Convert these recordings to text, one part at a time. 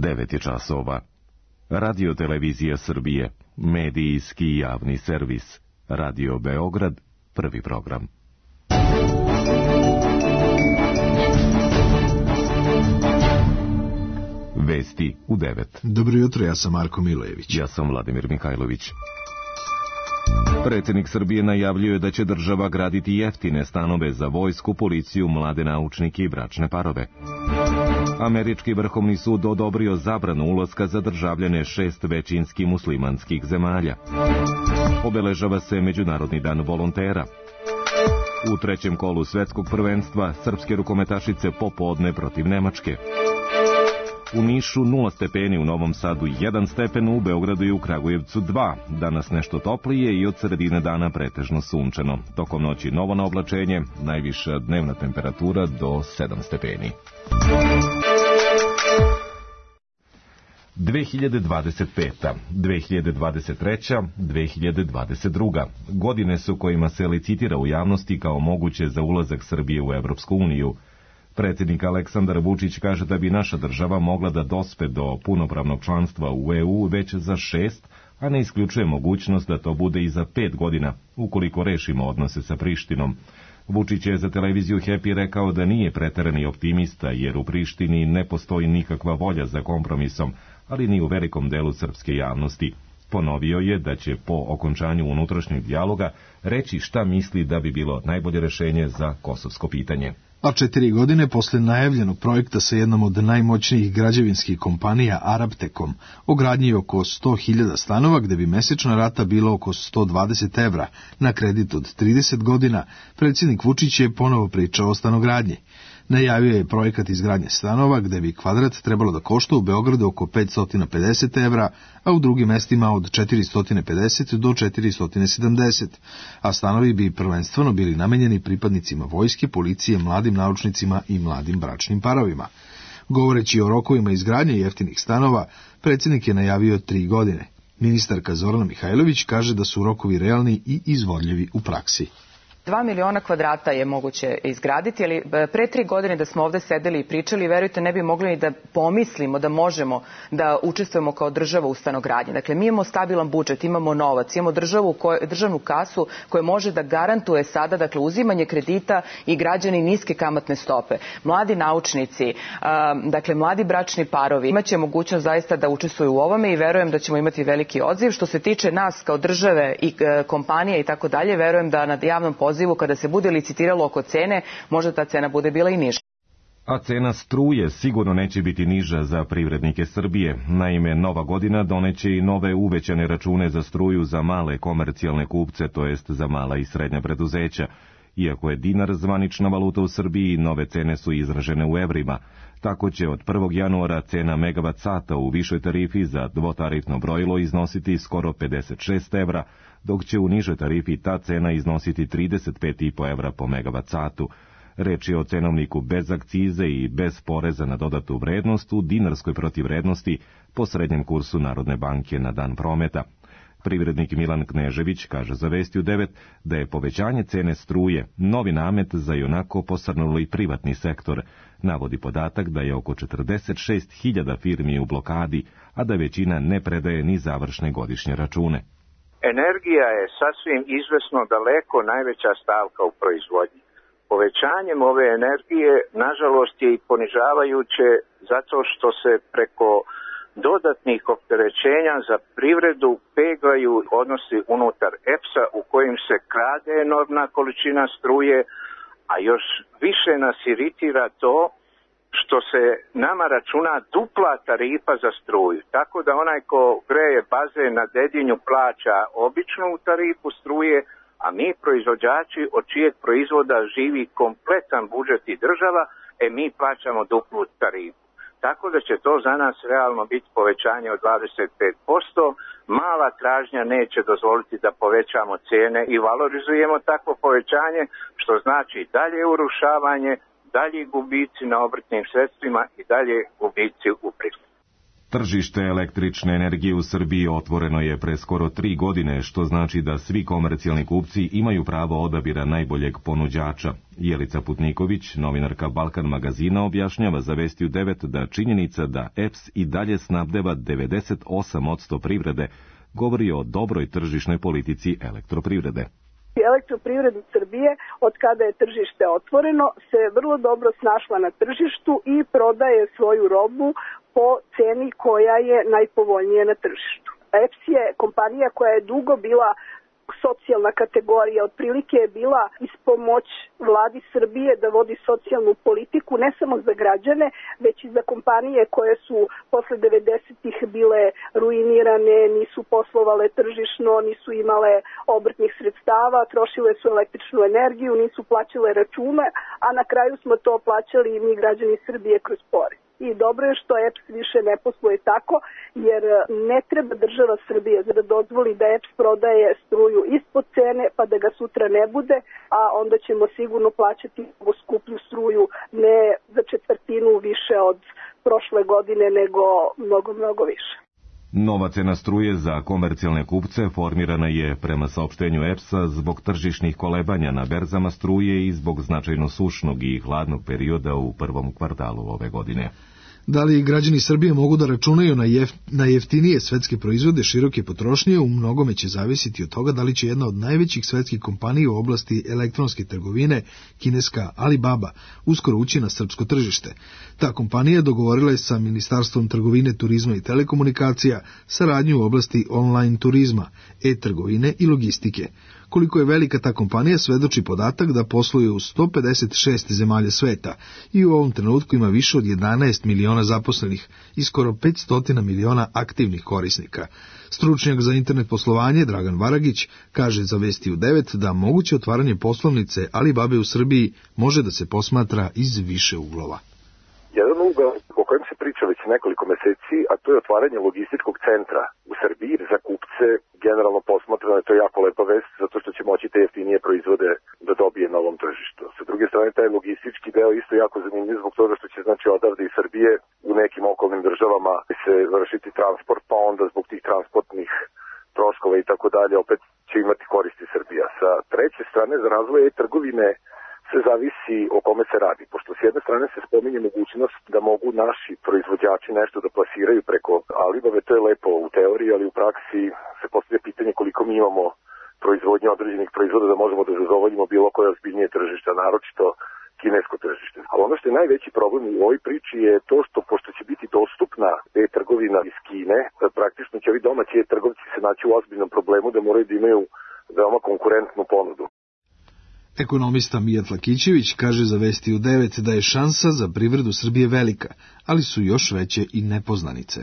9 je časova. Radio Televizija Srbije, medijski javni servis. Radio Beograd, prvi program. Vesti u 9. Dobro jutro, ja sam Marko Milojević. Ja sam Vladimir Mihajlović. Predsjednik Srbije najavljuje da će država graditi jeftine stanove za vojsku, policiju, mlade naučnike i bračne parove. Američki vrhovni sud odobrio zabranu ulaska za državljane 6 većinski muslimanskih zemalja. Obeležava se Međunarodni dan volontera. U trećem kolu svetskog prvenstva srpske rukometašice popodne protiv Nemačke. U Nišu 0 stepeni, u Novom Sadu 1 stepen, u Beogradu i u Kragujevcu 2. Danas nešto toplije i od sredine dana pretežno sunčano. Tokom noći novo na oblačenje, najviša dnevna temperatura do 7 stepeni. 2025. 2023. 2022. Godine su kojima se licitira u javnosti kao moguće za ulazak Srbije u Evropsku uniju. Predsjednik Aleksandar Vučić kaže da bi naša država mogla da dospe do punopravnog članstva u EU već za 6, a ne isključuje mogućnost da to bude i za 5 godina, ukoliko rešimo odnose sa Prištinom. Vučić je za televiziju Happy rekao da nije preterani optimista, jer u Prištini ne postoji nikakva volja za kompromisom, ali ni u velikom delu srpske javnosti. Ponovio je da će po okončanju unutrašnjeg dijaloga reći šta misli da bi bilo najbolje rešenje za kosovsko pitanje. A 4 godine posle najavljenog projekta sa jednom od najmoćnijih građevinskih kompanija Arabtekom o gradnji oko 100.000 stanova gde bi mesečna rata bila oko 120 evra na kredit od 30 godina, predsjednik Vučić je ponovo pričao o stanogradnji. Najavio je projekat izgradnje stanova gde bi kvadrat trebalo da košta u Beogradu oko 550 evra, a u drugim mestima od 450 do 470, a stanovi bi prvenstveno bili namenjeni pripadnicima vojske, policije, mladim naučnicima i mladim bračnim parovima. Govoreći o rokovima izgradnje jeftinih stanova, predsjednik je najavio 3 godine. Ministarka Zorana Mihajlović kaže da su rokovi realni i izvodljivi u praksi. 2 miliona kvadrata je moguće izgraditi, ali pre 3 godine da smo ovde sedeli i pričali, verujte, ne bi mogli ni da pomislimo da možemo da učestvujemo kao država u stanogradnji. Dakle, mi imamo stabilan budžet, imamo novac, imamo državnu kasu koja može da garantuje sada, dakle, uzimanje kredita i građani niske kamatne stope. Mladi naučnici, dakle, mladi bračni parovi imaće mogućnost zaista da učestvuju u ovome i verujem da ćemo imati veliki odziv. Što se tiče nas kao države i kompanije i tako dalje, verujem da na javnom pozivu kada se bude licitiralo oko cene, možda ta cena bude bila i niža. A cena struje sigurno neće biti niža za privrednike Srbije. Naime, nova godina doneće i nove uvećane račune za struju za male komercijalne kupce, to jest za mala i srednja preduzeća. Iako je dinar zvanična valuta u Srbiji, nove cene su izražene u evrima. Tako će od 1. januara cena megavat sata u višoj tarifi za dvotarifno brojilo iznositi skoro 56 evra, dok će u nižoj tarifi ta cena iznositi 35,5 evra po megavat satu. Reč je o cenovniku bez akcize i bez poreza na dodatu vrednost u dinarskoj protivvrednosti po srednjem kursu Narodne banke na dan prometa. Privrednik Milan Knežević kaže za Vesti u 9 da je povećanje cene struje novi namet za ionako posrnuli privatni sektor. Navodi podatak da je oko 46.000 firmi u blokadi, a da većina ne predaje ni završne godišnje račune. Energija je sasvim izvesno daleko najveća stavka u proizvodnji. Povećanjem ove energije, nažalost, je i ponižavajuće zato što se preko dodatnih opterećenja za privredu peglaju odnosi unutar EPS-a u kojim se krade enormna količina struje, a još više nas iritira to što se nama računa dupla tarifa za struju. Tako da onaj ko greje bazen na Dedinju plaća običnu tarifu struje, a mi proizvođači od čijeg proizvoda živi kompletan budžet i država, mi plaćamo duplu tarifu. Tako da će to za nas realno biti povećanje od 25%. Mala tražnja neće dozvoliti da povećamo cijene i valorizujemo takvo povećanje, što znači dalje urušavanje, dalje gubici na obrtnim sredstvima i dalje gubici u privredi. Tržište električne energije u Srbiji otvoreno je pre skoro 3 godine, što znači da svi komercijalni kupci imaju pravo odabira najboljeg ponuđača. Jelica Putniković, novinarka Balkan magazina, objašnjava za Vesti u 9 da činjenica da EPS i dalje snabdeva 98% privrede govori o dobroj tržišnoj politici elektroprivrede. Elektroprivreda Srbije, od kada je tržište otvoreno, se vrlo dobro snašla na tržištu i prodaje svoju robu po ceni koja je najpovoljnija na tržištu. EPS je kompanija koja je dugo bila socijalna kategorija, otprilike je bila ispomoć vladi Srbije da vodi socijalnu politiku ne samo za građane, već i za kompanije koje su posle 90-ih bile ruinirane, nisu poslovale tržišno, nisu imale obrtnih sredstava, trošile su električnu energiju, nisu plaćale račune, a na kraju smo to plaćali i mi građani Srbije kroz porez. I dobro je što EPS više ne posluje tako, jer ne treba država Srbije da dozvoli da EPS prodaje struju ispod cene pa da ga sutra ne bude, a onda ćemo sigurno plaćati skuplju struju ne za četvrtinu više od prošle godine, nego mnogo više. Nova cena struje za komercijalne kupce formirana je prema saopštenju EPS-a zbog tržišnih kolebanja na berzama struje i zbog značajno sušnog i hladnog perioda u prvom kvartalu ove godine. Da li građani Srbije mogu da računaju na jeftinije svetske proizvode široke potrošnje, u mnogome će zavisiti od toga da li će jedna od najvećih svetskih kompanija u oblasti elektronske trgovine, kineska Alibaba, uskoro ući na srpsko tržište. Ta kompanija dogovorila je sa Ministarstvom trgovine, turizma i telekomunikacija saradnju u oblasti online turizma, e-trgovine i logistike. Koliko je velika ta kompanija svedoči podatak da posluje u 156 zemalja sveta i u ovom trenutku ima više od 11 miliona zaposlenih i skoro 500 miliona aktivnih korisnika. Stručnjak za internet poslovanje Dragan Varagić kaže za Vesti u 9 da moguće otvaranje poslovnice Alibabe u Srbiji može da se posmatra iz više uglova. Jedan ugao o kojem se priča već nekoliko meseci, a to je otvaranje logističkog centra u Srbiji za kupce. Generalno posmatrano je to jako lepa vest, zato što će moći te jeftinije proizvode da dobije na ovom tržištu. Sa druge strane, taj logistički deo isto jako zanimljiv zbog toga što će znači odavde iz Srbije u nekim okolnim državama se vršiti transport, pa onda zbog tih transportnih troškova i tako dalje opet će imati koristi Srbija. Sa treće strane, za razvoj e-trgovine sve zavisi o kome se radi, pošto s jedne strane se spominje mogućnost da mogu naši proizvođači nešto da plasiraju preko Alibaba, to je lepo u teoriji, ali u praksi se postavlja pitanje koliko mi imamo proizvodnje određenih proizvoda da možemo da zadovoljimo bilo koje ozbiljnije tržišta, naročito kinesko tržište. Ali ono što je najveći problem u ovoj priči je to što, pošto će biti dostupna e-trgovina iz Kine, praktično će ovi domaći e-trgovci se naći u ozbiljnom problemu da moraju da imaju veoma konkurentnu ponudu. Ekonomista Mijat Lakićević kaže za Vesti u 9 da je šansa za privredu Srbije velika, ali su još veće i nepoznanice.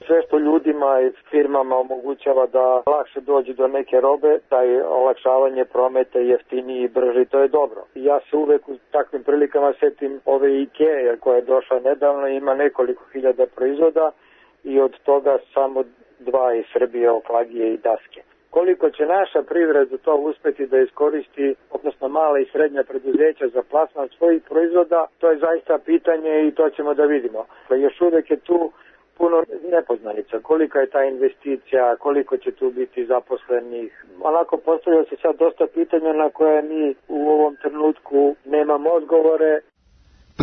Sve što ljudima i firmama omogućava da lakše dođu do neke robe, taj olakšavanje prometa jeftiniji i brži, to je dobro. Ja se uvek u takvim prilikama setim ove IKEA koja je došla nedavno, ima nekoliko hiljada proizvoda i od toga samo 2 iz Srbije, oklagije i daske. Koliko će naša privreda to uspeti da iskoristi, odnosno mala i srednja preduzeća za plasman svojih proizvoda, to je zaista pitanje i to ćemo da vidimo. Još uvek je tu puno nepoznanica. Kolika je ta investicija, koliko će tu biti zaposlenih. Onako postavlja se sad dosta pitanja na koje mi u ovom trenutku nemamo odgovore.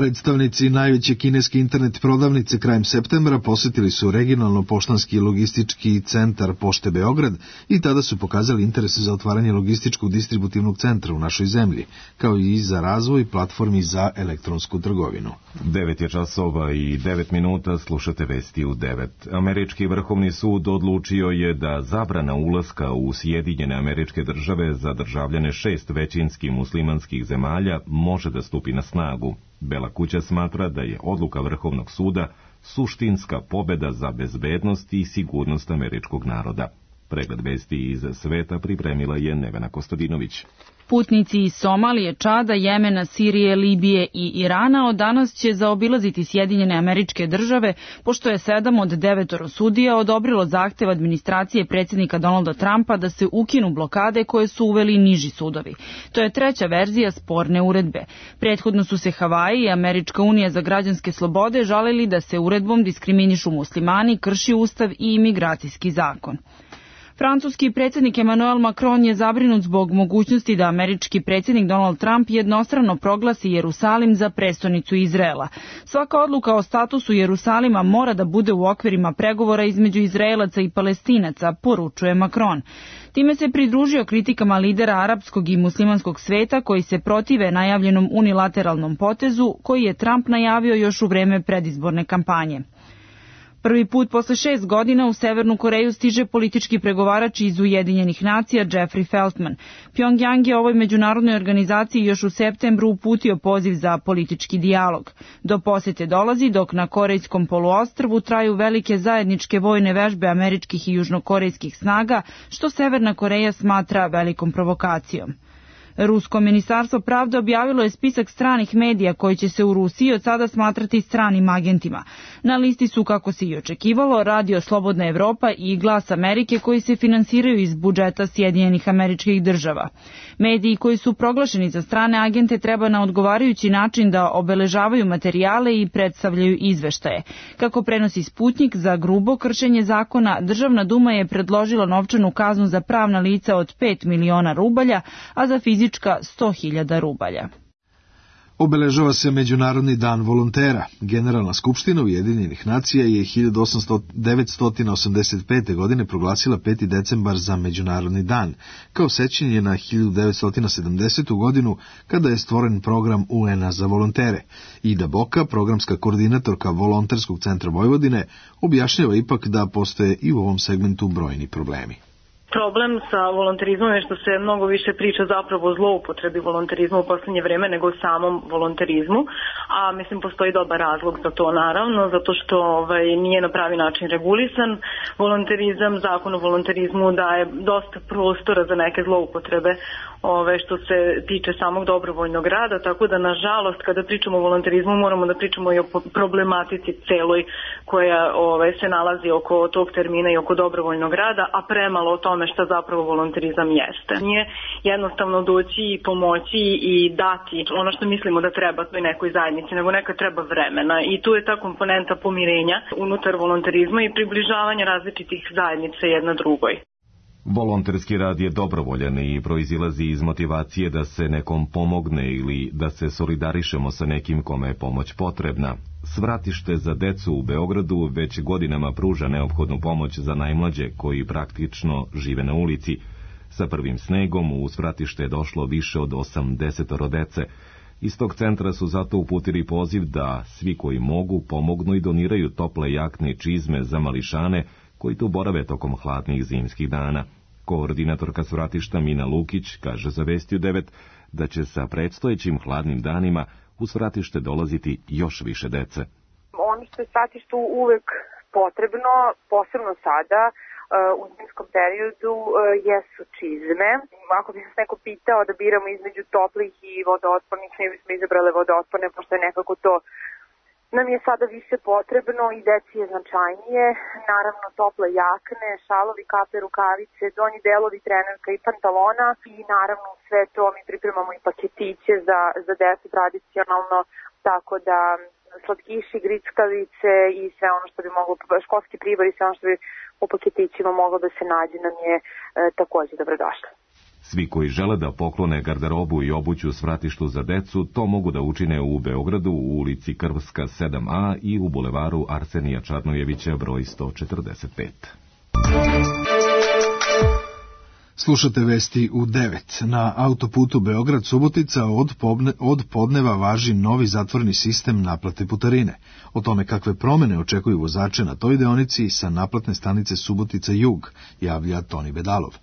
Predstavnici najveće kineske internet prodavnice krajem septembra posjetili su regionalno-poštanski logistički centar Pošte Beograd i tada su pokazali interes za otvaranje logističkog distributivnog centra u našoj zemlji, kao i za razvoj platformi za elektronsku trgovinu. 9 je časova i 9 minuta, slušate Vesti u 9. Američki vrhovni sud odlučio je da zabrana ulaska u Sjedinjene Američke Države za državljane 6 većinski muslimanskih zemalja može da stupi na snagu. Bela kuća smatra da je odluka Vrhovnog suda suštinska pobeda za bezbednost i sigurnost američkog naroda. Pregled vesti iz sveta pripremila je Nevena Kostadinović. Putnici iz Somalije, Čada, Jemena, Sirije, Libije i Irana od danas će zaobilaziti Sjedinjene Američke Države, pošto je 7 od 9 sudija odobrilo zahtev administracije predsjednika Donalda Trumpa da se ukinu blokade koje su uveli niži sudovi. To je treća verzija sporne uredbe. Prethodno su se Havaji i Američka unija za građanske slobode žalili da se uredbom diskriminišu muslimani, krši ustav i imigracijski zakon. Francuski predsjednik Emmanuel Macron je zabrinut zbog mogućnosti da američki predsjednik Donald Trump jednostrano proglasi Jerusalim za prestonicu Izraela. Svaka odluka o statusu Jerusalima mora da bude u okvirima pregovora između Izraelaca i Palestinaca, poručuje Macron. Time se pridružio kritikama lidera arapskog i muslimanskog sveta koji se protive najavljenom unilateralnom potezu koji je Trump najavio još u vreme predizborne kampanje. Prvi put posle 6 godina u Severnu Koreju stiže politički pregovarač iz Ujedinjenih nacija Jeffrey Feltman. Pjongjang je ovoj međunarodnoj organizaciji još u septembru uputio poziv za politički dijalog. Do posete dolazi dok na Korejskom poluostrvu traju velike zajedničke vojne vežbe američkih i južnokorejskih snaga, što Severna Koreja smatra velikom provokacijom. Rusko ministarstvo pravde objavilo je spisak stranih medija koji će se u Rusiji od sada smatrati stranim agentima. Na listi su, kako se i očekivalo, Radio Slobodna Evropa i Glas Amerike koji se finansiraju iz budžeta Sjedinjenih Američkih Država. Mediji koji su proglašeni za strane agente treba na odgovarajući način da obeležavaju materijale i predstavljaju izveštaje. Kako prenosi Sputnik, za grubo kršenje zakona, Državna duma je predložila novčanu kaznu za pravna lica od 5 miliona rubalja, a za fizička 100.000 rubalja. Obeležava se Međunarodni dan volontera. Generalna skupština Ujedinjenih nacija je 1985. godine proglasila 5. decembar za Međunarodni dan, kao sećanje na 1970. godinu kada je stvoren program UN-a za volontere. Ida Boka, programska koordinatorka Volonterskog centra Vojvodine, objašnjava ipak da postoje i u ovom segmentu brojni problemi. Problem sa volonterizmom je što se mnogo više priča zapravo o zloupotrebi volonterizma u poslednje vreme nego o samom volonterizmu, a mislim postoji dobar razlog za to naravno, zato što nije na pravi način regulisan volonterizam. Zakon o volonterizmu daje dosta prostora za neke zloupotrebe što se tiče samog dobrovoljnog rada, tako da nažalost kada pričamo o volonterizmu moramo da pričamo i o problematici celoj koja se nalazi oko tog termina i oko dobrovoljnog rada, a premalo o tome šta zapravo volonterizam jeste. Nije jednostavno doći i pomoći i dati ono što mislimo da treba toj nekoj zajednici, nego nekad treba vremena i tu je ta komponenta pomirenja unutar volonterizma i približavanja različitih zajednica jedna drugoj. Volonterski rad je dobrovoljan i proizilazi iz motivacije da se nekom pomogne ili da se solidarišemo sa nekim kome je pomoć potrebna. Svratište za decu u Beogradu već godinama pruža neophodnu pomoć za najmlađe koji praktično žive na ulici. Sa prvim snegom u svratište je došlo više od 80 dece. Iz tog centra su zato uputili poziv da svi koji mogu pomognu i doniraju tople jakne i čizme za mališane koji tu borave tokom hladnih zimskih dana. Koordinatorka svratišta Mina Lukić kaže za Vestiju 9 da će sa predstojećim hladnim danima u svratište dolaziti još više dece. Ono što je svratištu uvek potrebno, posebno sada, u zimskom periodu, jesu čizme. Ako bi nas neko pitao da biramo između toplih i vodootpornih, ne bismo izabrale vodootporne, pošto je nekako to nam je sada više potrebno i deci je značajnije. Naravno tople jakne, šalovi, kape, rukavice, donji delovi trenerka i pantalona i naravno sve to mi pripremamo i paketiće za decu tradicionalno, tako da slatkiši, grickavice i sve ono što bi moglo, školski pribor i sve ono što bi u paketićima moglo da se nađe nam je takođe dobrodošlo. Svi koji žele da poklone garderobu i obuću svratištu za decu, to mogu da učine u Beogradu u ulici Krvska 7A i u bulevaru Arsenija Čarnojevića broj 145. Slušate vesti u 9. Na autoputu Beograd-Subotica od podneva važi novi zatvorni sistem naplate putarine. O tome kakve promene očekuju vozače na toj deonici sa naplatne stanice Subotica Jug, javlja Toni Bedalov.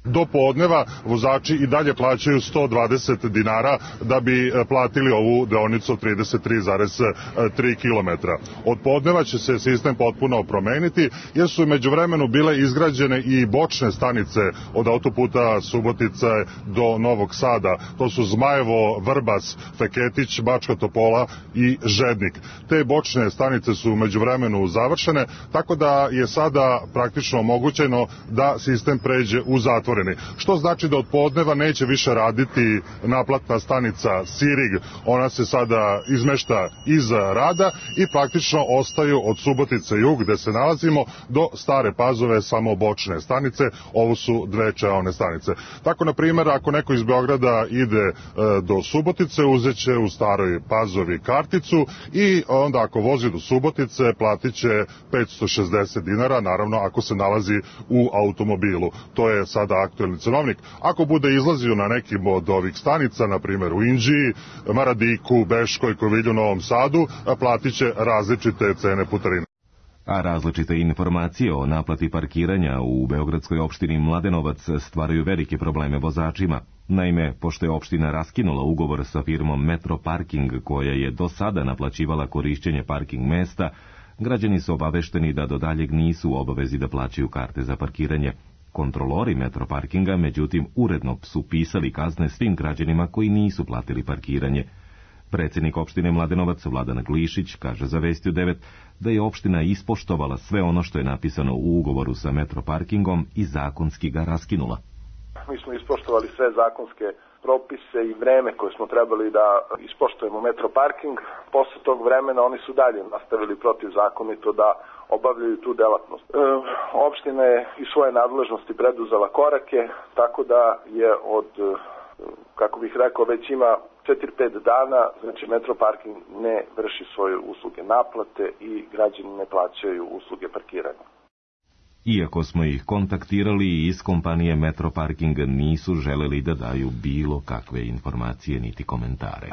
Do podneva vozači i dalje plaćaju 120 dinara da bi platili ovu deonicu 33,3 km. Od podneva će se sistem potpuno promeniti jer su međuvremenu bile izgrađene i bočne stanice od autoputa Subotice do Novog Sada. To su Zmajevo, Vrbas, Feketić, Bačka Topola i Žednik. Te bočne stanice su međuvremenu završene, tako da je sada praktično omogućeno da sistem pređe u zatvoreni. Što znači da od podneva neće više raditi naplatna stanica Sirig, ona se sada izmešta iz rada i praktično ostaju od Subotice jug gde se nalazimo do Stare Pazove samo bočne stanice, ovo su dve čeone stanice. Tako, na primjer, ako neko iz Beograda ide do Subotice, uzeće u Staroj Pazovi karticu i onda ako vozi do Subotice platit će 560 dinara, naravno ako se nalazi u automobilu. To je sada aktuelni cenovnik. Ako bude izlazio na nekim od ovih stanica, na primjer u Inđiji, Maradiku, Beškoj, Kovilju, Novom Sadu, platit će različite cene putarine. A različite informacije o naplati parkiranja u beogradskoj opštini Mladenovac stvaraju velike probleme vozačima. Naime, pošto je opština raskinula ugovor sa firmom Metro Parking, koja je do sada naplaćivala korišćenje parking mesta, građani su obavešteni da do daljeg nisu u obavezi da plaćaju karte za parkiranje. Kontrolori Metro Parkinga, međutim, uredno su pisali kazne svim građanima koji nisu platili parkiranje. Predsjednik opštine Mladenovac Vladan Glišić kaže za Vestiju 9 da je opština ispoštovala sve ono što je napisano u ugovoru sa Metro Parkingom i zakonski ga raskinula. Mi smo ispoštovali sve zakonske propise i vreme koje smo trebali da ispoštujemo Metro Parking. Posle tog vremena oni su dalje nastavili protivzakonito da obavljaju tu delatnost. Opština je iz svoje nadležnosti preduzela korake, tako da je od, kako bih rekao, već ima 4-5 dana, znači Metro Parking ne vrši svoje usluge naplate i građani ne plaćaju usluge parkiranja. Iako smo ih kontaktirali, iz kompanije Metro Parking nisu želeli da daju bilo kakve informacije niti komentare.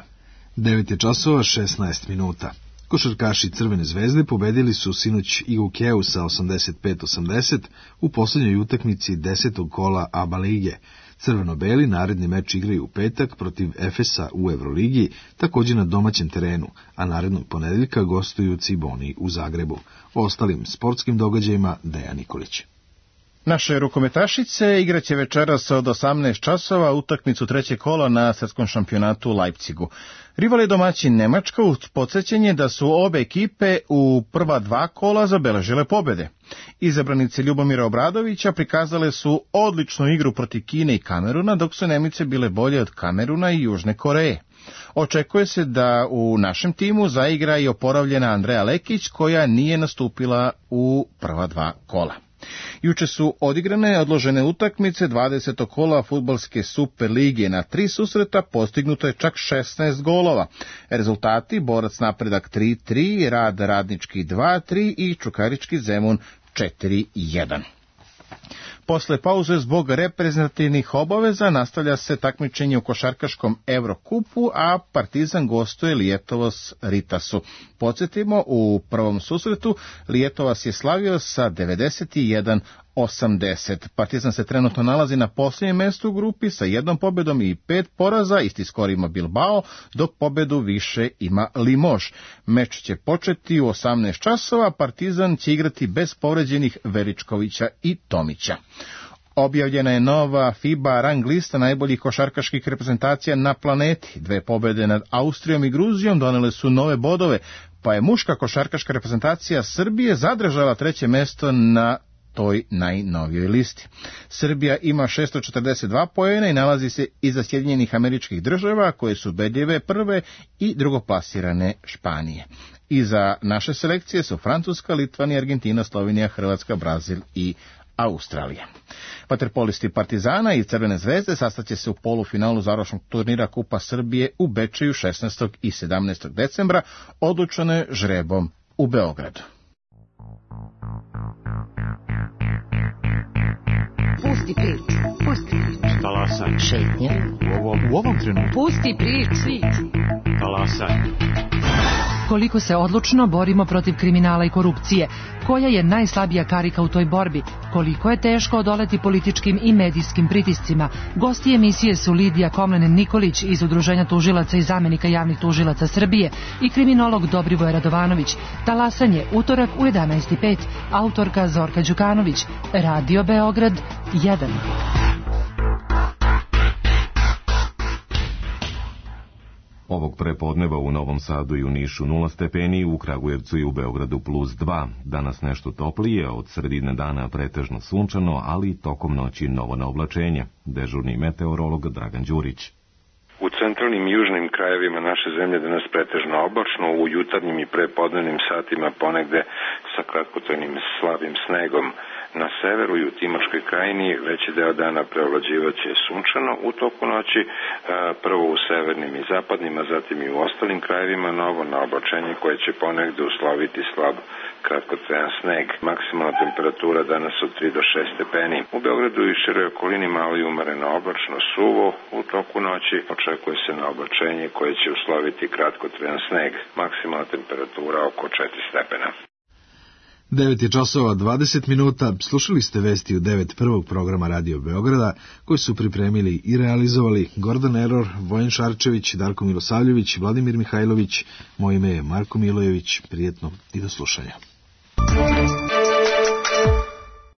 9:16. Košarkaši Crvene zvezde pobedili su sinoć IUK-u sa 85-80 u posljednjoj utakmici 10. kola ABA lige. Crveno-beli naredni meč igraju u petak protiv Efesa u Evroligi, također na domaćem terenu, a narednog ponedeljka gostuju Ciboni u Zagrebu. O ostalim sportskim događajima Dejan Nikolić. Naše rukometašice igraće večeras od 18 časova utakmicu trećeg kola na svjetskom šampionatu u Leipzigu. Rival je domaćin Nemačka uz podsjećanje da su obe ekipe u prva dva kola zabeležile pobjede. Izabranice Ljubomira Obradovića prikazale su odličnu igru protiv Kine i Kameruna, dok su Nemice bile bolje od Kameruna i Južne Koreje. Očekuje se da u našem timu zaigra i oporavljena Andreja Lekić, koja nije nastupila u prva dva kola. Juče su odigrane odložene utakmice 20. kola fudbalske Super lige. Na 3 susreta postignuto je čak 16 golova. Rezultati: Borac Napredak 3-3, Rad Radnički 2-3 i Čukarički Zemun 4-1. Posle pauze zbog reprezentativnih obaveza nastavlja se takmičenje u košarkaškom Evrokupu, a Partizan gostuje Lijetovos Ritasu. Podsjetimo, u prvom susretu Lijetovas je slavio sa 91-80. Partizan se trenutno nalazi na posljednjem mjestu u grupi sa 1 pobjedom i 5 poraza, isti skor ima Bilbao, dok pobjedu više ima Limož. Meč će početi u 18 časova, Partizan će igrati bez povređenih Veričkovića i Tomića. Objavljena je nova FIBA rang lista najboljih košarkaških reprezentacija na planeti. 2 pobjede nad Austrijom i Gruzijom donele su nove bodove, pa je muška košarkaška reprezentacija Srbije zadržala 3. mjesto na toj najnovijoj listi. Srbija ima 642 poena i nalazi se iza Sjedinjenih Američkih Država, koje su ubedljive prve, i drugoplasirane Španije. Iza naše selekcije su Francuska, Litvanija, Argentina, Slovenija, Hrvatska, Brazil i Australija. Vaterpolisti Partizana i Crvene zvezde sastaće se u polufinalu završnog turnira Kupa Srbije u Bečeju 16. i 17. decembra, odlučeno je žrebom u Beogradu. Pusti priču. Talasaj. Šetnje. U ovom trenutku. Pusti priču. Talasaj. Koliko se odlučno borimo protiv kriminala i korupcije? Koja je najslabija karika u toj borbi? Koliko je teško odoleti političkim i medijskim pritiscima? Gosti emisije su Lidija Komlenen-Nikolić iz Udruženja tužilaca i zamenika javnih tužilaca Srbije i kriminolog Dobrivoje Radovanović. Talasanje, utorak u 11:05. Autorka Zorka Đukanović. Radio Beograd 1. Ovog prepodneva u Novom Sadu i u Nišu 0 stepeni, u Kragujevcu i u Beogradu +2. Danas nešto toplije, od sredine dana pretežno sunčano, ali tokom noći novo na oblačenje. Dežurni meteorolog Dragan Đurić. U centralnim i južnim krajevima naše zemlje danas pretežno oblačno, u jutarnjim i prepodnevnim satima ponegde sa kratkotrajnim slabim snegom. Na severu i u Timočkoj krajini veći deo dana preovlađivaće sunčano, u toku noći prvo u severnim i zapadnim, a zatim i u ostalim krajevima novo na oblačenje koje će ponegde usloviti slab kratkotrajan sneg. Maksimalna temperatura danas od 3 do 6 stepeni. U Beogradu i široj okolini malo i umereno oblačno, suvo, u toku noći očekuje se na oblačenje koje će usloviti kratkotrajan sneg. Maksimalna temperatura oko 4 stepena. 9:20. Slušali ste vesti u 9 prvog programa Radio Beograda, koji su pripremili i realizovali Gordon Error, Vojen Šarčević, Darko Milosavljević, Vladimir Mihajlović. Moje ime je Marko Milojević. Prijetno i do slušanja.